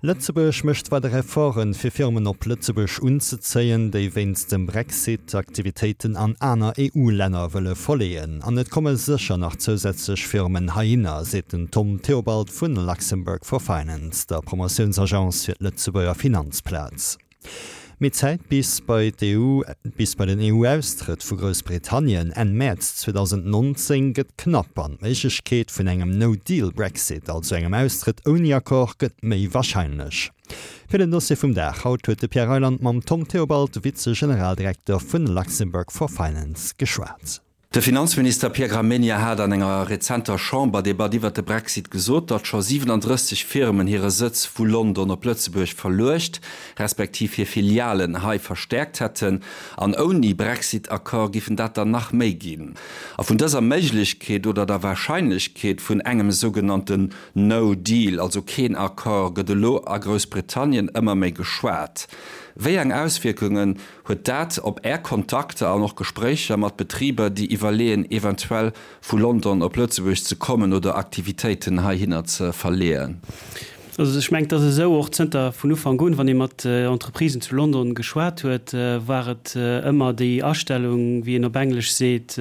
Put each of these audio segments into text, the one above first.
Lëtzebuerg mécht weider Efforten, fir Firmen op Lëtzebuerg unzezéien, déi wéinst dem Brexit Aktivitéiten an aner EU-Länner wëlle verleeën. An et komme sécher nach zousätzlech Firmen heihinner, seet den Tom Theobald vu Luxembourg for Finance, der Promotiounsagence fir d'Lëtzebuerger Finanzplaz. Mee d'Zäit bis bei d'EU, bis bei den EU-Austrëtt vu Groussbritannien Enn Mäerz 2019 gëtt knapp an d'Méiglechkeet vun engem No-Deal-Brexit, also engem Austrëtt ouni Accord, gëtt méi warscheinlech. Fir den Dossier vum Dag haut huet de Pierre Reyland mam Tom Theobald, Vize-Generaldirekter vun Luxembourg for Finance, geschwat. De Finanzminister Pierre Gramegna hat an enger rezenter Chamberdebatt iwwert de Brexit gesot, datt scho 37 Firmen hire Sëtz vu London op Lëtzebuerg verluecht, respektiv hir Filialen hei verstäerkt hätten. An ouni Brexit-Accord giffen dat der nach méi ginn. A vun dëser Méiglechkeet oder der Warscheinlechkeet vun engem sougenannten No Deal, also keen Accord, gëtt elo a Groussbritannien ëmmer méi geschwat. Wéi eng Auswierkungen Huet dat op Är Kontakter an och Gespréicher mat Betriber, déi iwwerleeën, eventuell vu London op Lëtzebuerg ze kommen oder Aktivitéiten heihinner ze verleeën? Also ech mengen, et ass esou, och zënter vun Ufank un, wann ee mat Entreprisen zu London geschwat huet, war et ëmmer déi Astellung, wéi een op Englesch seet,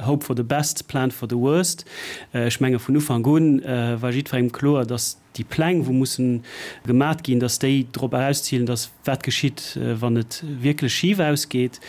hope for the best, plan for the worst. Ech menge vun Ufank un war jiddwerengem kloer, datt déi Pläng, wou mussen gemat ginn, dass déi drop erauszilen, dass wat geschitt, wann et wierklech schif ausgeet.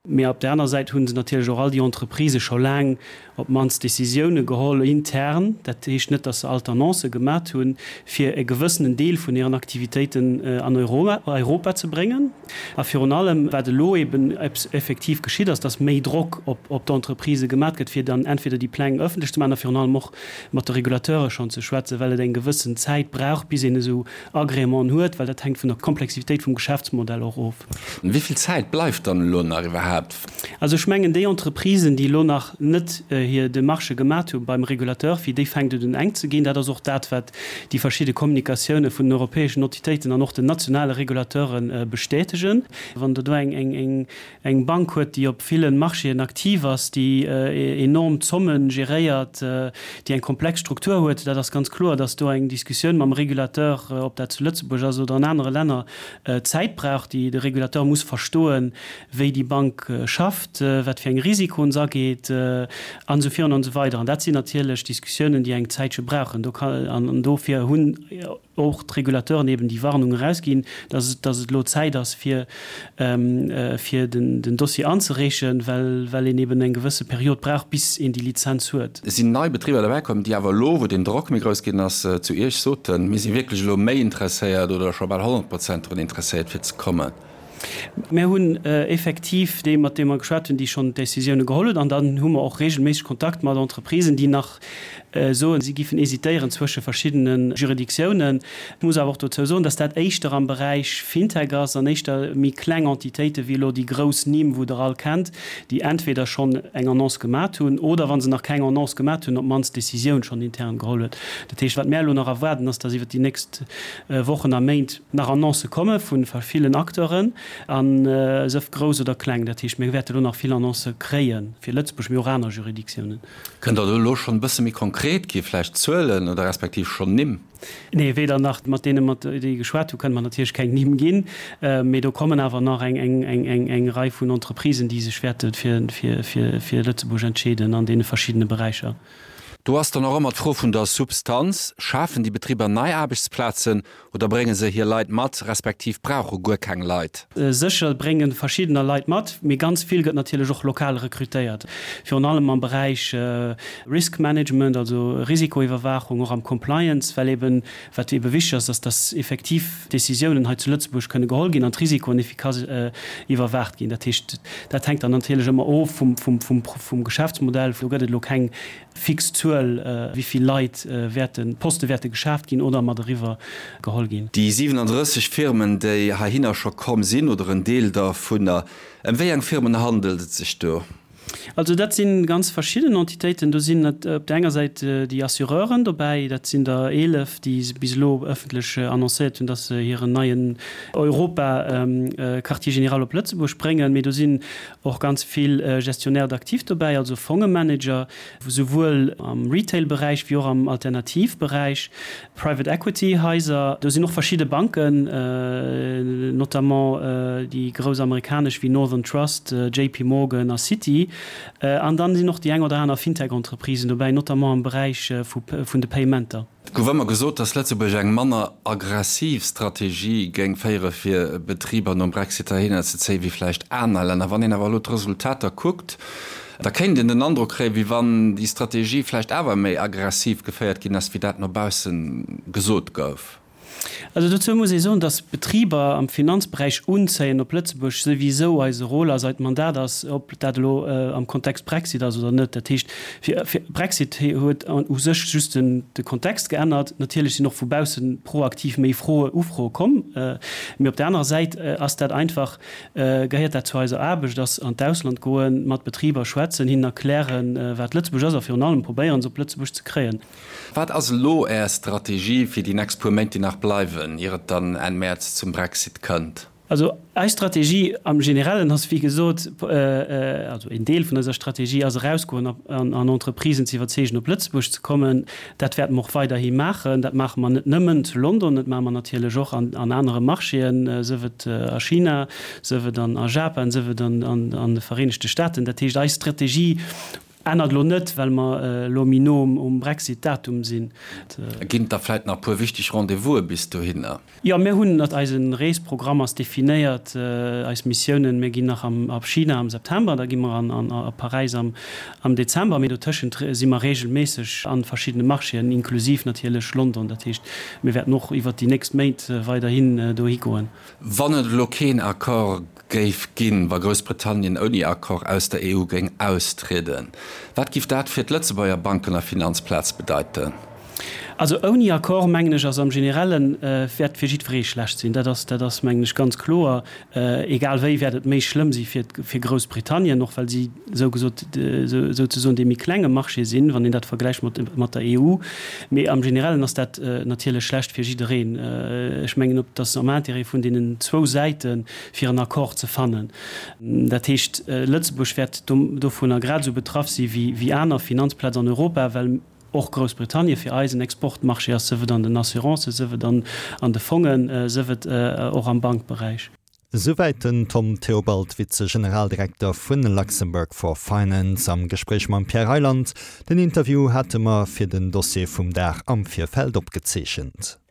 Mee op där aner Säit hu se natierlech och all déi Entreprisë scho laang op d'mannst Décisioune geholl intern, dat heescht net, dass se all d'Annoncë gemat hunn, fir e gewëssenen Deel vun hiren Aktivitéiten an Europa ze bréngen. A virun allem, wat elo eben effektiv geschitt ass, dass méi Drock op d'Entreprisë gemat gëtt, fir dann entweder déi Pläng ëffentlech ze maachen a virun allem och mat de Regulateure schonn ze schwätzen, well et eng gewëssen Zäit brauch, bis een esou Agrémenten huet, well dat hänkt vun der Komplexitéit vum Geschäftsmodell och of. Wéi vill Zäit bleift dann elo nach iwwerhaapt? Also ech mengen, déi Entreprisen, déi elo nach net hir Demarchë gemat hu beim Regulateur, fir déi fänkt et un enk ze ginn. Dat ass och dat, wat déi verschidde Kommunikatioune vun den europäeschen Entitéiten an och den nationale Regulateure bestätegen. Wann Der do eng eng Bank huet, déi op ville Marchéen aktiv ass, déi enorm Zomme geréiert, déi eng komplex Struktur huet, dat ass ganz kloer, datt do eng Diskussioun mam Régulateur, ob dat zu Lëtzebuerg ass oder an anere Länner, Zäit brauch. Déi, de Régulateur muss verstoen, wéi déi Bank schafft, wat fir eng Risikoen se ageet, an esou virun an esou weider. An dat sinn natierlech Diskussiounen, déi eng Zäitche brauchen. Do kann, an dofir hunn och d'Regulateuren eben déi Warnung erausginn, dass et, dass et elo Zäit ass, fir, fir den, den Dossier anzereechen, well, well een eben eng gewësse Period brauch, bis een déi Lizenz huet. Et sinn nei Betriber derbäi komm, déi awer elo, wou den Drock méi grouss ginn ass, zu Iech soten, Mir si wierklech elo méi interesséiert oder scho bal 100 Prozent drun interesséiert, fir ze kommen. Mir hunn effektiv déi, mat deene mer geschwat hunn, déi schonn Décisioune geholl hunn. An dann hu mer och regelméisseg Kontakt mat Entreprisen, déi nach soen, si giffen hésitéieren zwësche verschiddene Juridictiounen. Ech muss awer och dozou soen, dass dat éischter am Beräich FinTech ass an éischter méi kleng Entitéite wéi elo déi grouss Nimm, wou Der all kennt, déi entweder schonn eng Annonce gemat hunn oder, wa se nach keng Annonce gemat hunn, op d'mannst d'Décisioun schonn intern geholl huet. Dat heescht, wat mär elo nach erwaarden, ass, dass iwwert déi nächst Wochen a Méint nach Annoncë komme vu villen Acteuren, a sëf grouss oder kleng. Dat heescht, mir wäerte elo nach vill Annoncë kréie fir Lëtzebuerg, mee och aner Juridictiounen. Kënnt Der do elo schonn e bësse méi konkret gi, vläicht Zuelen oder respektiv schonn Nimm? Nee, weder nach mat deene, mat déi geschwat hu, kënne mer natierlech keng Nimm ginn. Mee do kommen awer nach eng Rei vun Entreprisen, déi sech wäerte fir Lëtzebuerg entscheeden an deene verschiddene Beräicher. Do ass dann och ëmmer d'Fro vun der Substanz, Schafen déi Betriber nei Aarbechtsplazen oder brénge se hir Leit mat, respektiv brauche guer keng Leit? Sécher brénge verschiddener Leit mat, mee ganz vill gëtt natierlech och lokal rekrutéiert, virun allem am Beräich Risk Management, also Risikoiwwerwaachung, och am Compliance, well eben, wat ebe wichteg ass, ass, dass effektiv Décisiounen hei zu Lëtzebuerg kënne geholl ginn an d'Risikoen efficace iwwerwaacht ginn. Dat heescht, dat hänkt dann natierlech ëmmer of vum Geschäftsmodell. Do gëtt et elo keng fix Zuel, wéi vill Leit wäerten, Poste wäerte geschaaft ginn oder mat eriwwer geholl ginn. Déi 37 Firmen, déi heihinner scho komm sinn, oder en Deel dervunner, ëm wéi eng Firmen handelt et sech do? Also dat si ganz verschidden Entitéiten. Do sinn op der enger Säit déi Assureuren dobäi, dat sinn der 11, déi bis elo ëffentlech annoncéiert hunn, datt se hiren neien Europa-Quartier général op Lëtzebuerg bréngen. Mee do sinn och ganz vill Gestionnaires d'actifs dobäi, also Fongemanager, souwuel am Retail-Beräich wéi och am Alternativberäich, Private Equity Haiser. Do sinn och verschidde Banken, notamment déi grouss amerikanesch wéi Northern Trust, JP Morgan a Citi. An dann sinn och déi eng oder aner Fintech-Entreprisen dobäi, notamment am Beräich vun de Paymenter. Et gouf ëmmer gesot, datt Lëtzebuerg eng manner aggressiv Strategie géing féiere fir Betriber nom Brexit heihinner ze zéien, wéi vläicht aner Länner. Wann een awer elo d'Resultater kuckt, da kéint een den Androck kréien, wéi wann déi Strategie vläicht awer méi aggressiv geféiert ginn ass, wéi dat no bausse gesot gouf. Also dozou muss ee soen, datt Betriber am Finanzberäich unzéien op Lëtzebuerg souwisou eise Rôle ass, eist Mandat ass, ob dat elo am Kontext Brexit ass oder net. Dat heescht, fir, fir Brexit huet u sech just den, de Kontext geännert. Natierlech sinn och vu bausse proaktiv méi Froe, Ufroe komm. Mee op der anerer Säit ass dat einfach, gehéiert dat zu eiser Aarbecht, ass an d'Ausland goen, mat Betriber schwätzen, hinnen erklären, wat Lëtzebuerg ass a virun allem probéieren, se op Lëtzebuerg ze kréien. Wat ass elo Är Strategie fir déi nächst puer Méint, déi nach bleiwen, ier et dann Enn Mäerz zum Brexit kënnt? Also eis Strategie am Generellen ass wéi gesot, also een Deel vun eiser Strategie ass erausgoen an Entreprisen ze iwwerzeegen op Lëtzebuerg ze kommen. Dat wäerte mer och weiderhi maachen. Dat maache mer net nëmmen zu London, dat maache mer natierlech och an anere Marchéen, sief et a China, sief et a Japan, sief et an de Vereenegte Staaten. Dat heescht eis Strategie Ännert elo net, well mer elo méi no um Brexit-Datum sinn. Ginn et da vläit nach e puer wichteg Rendez-vouse bis dohinner? Jo, mir hunn, eise Reesprogramm ass definéiert, eis Missiounen. Mir ginn nach a China am September, da gi mer a Paräis am Dezember, mee dotëschent si mer reegelméisseg a verschiddene Marchéen, inklusiv natierlech London. Dat heescht, mir wäerten och iwwert déi nächst Méint weiderhin dohi goen. Wann et elo keen Accord géif ginn, wa Groussbritannien ouni Accord aus der EU géing austrieden, wat giff dat fir d'Lëtzebuerger Banken a Finanzplaz bedeiten? Also ouni Accord, mengen ech, ass am Generellen, wäert fir jiddweree schlecht sinn. Dat ass, dat ass, mengen ech, ganz kloer. Egal wéi wäert et méi schlëmm si fir, fir Groussbritannien, och well si esou gesot, souzesoen dee méi klenge Marché sinn, wann een dat vergläicht mat, mat der EU. Mee am Generellen ass dat natierlech schlecht fir jiddereen. Ech mengen, et ass am Intérêt vun deenen zwou Säiten, fir en Accord ze fannen. Dat heescht, Lëtzebuerg wäert dovunner grad esou betraff si wéi aner Finanzplaz an Europa, well och Groussbritannien fir eis en Exportmarché ass, sief et an den Assurancen, sief et an de Fongen, sief et och am Bankberäich. Esouwäit den Tom Theobald, Vize-Generaldirekter vu Luxembourg for Finance am Gespréich mam Pierre Reyland. Den Interview hate mer fir den Dossier vum Dag am Virfeld opgezeechent.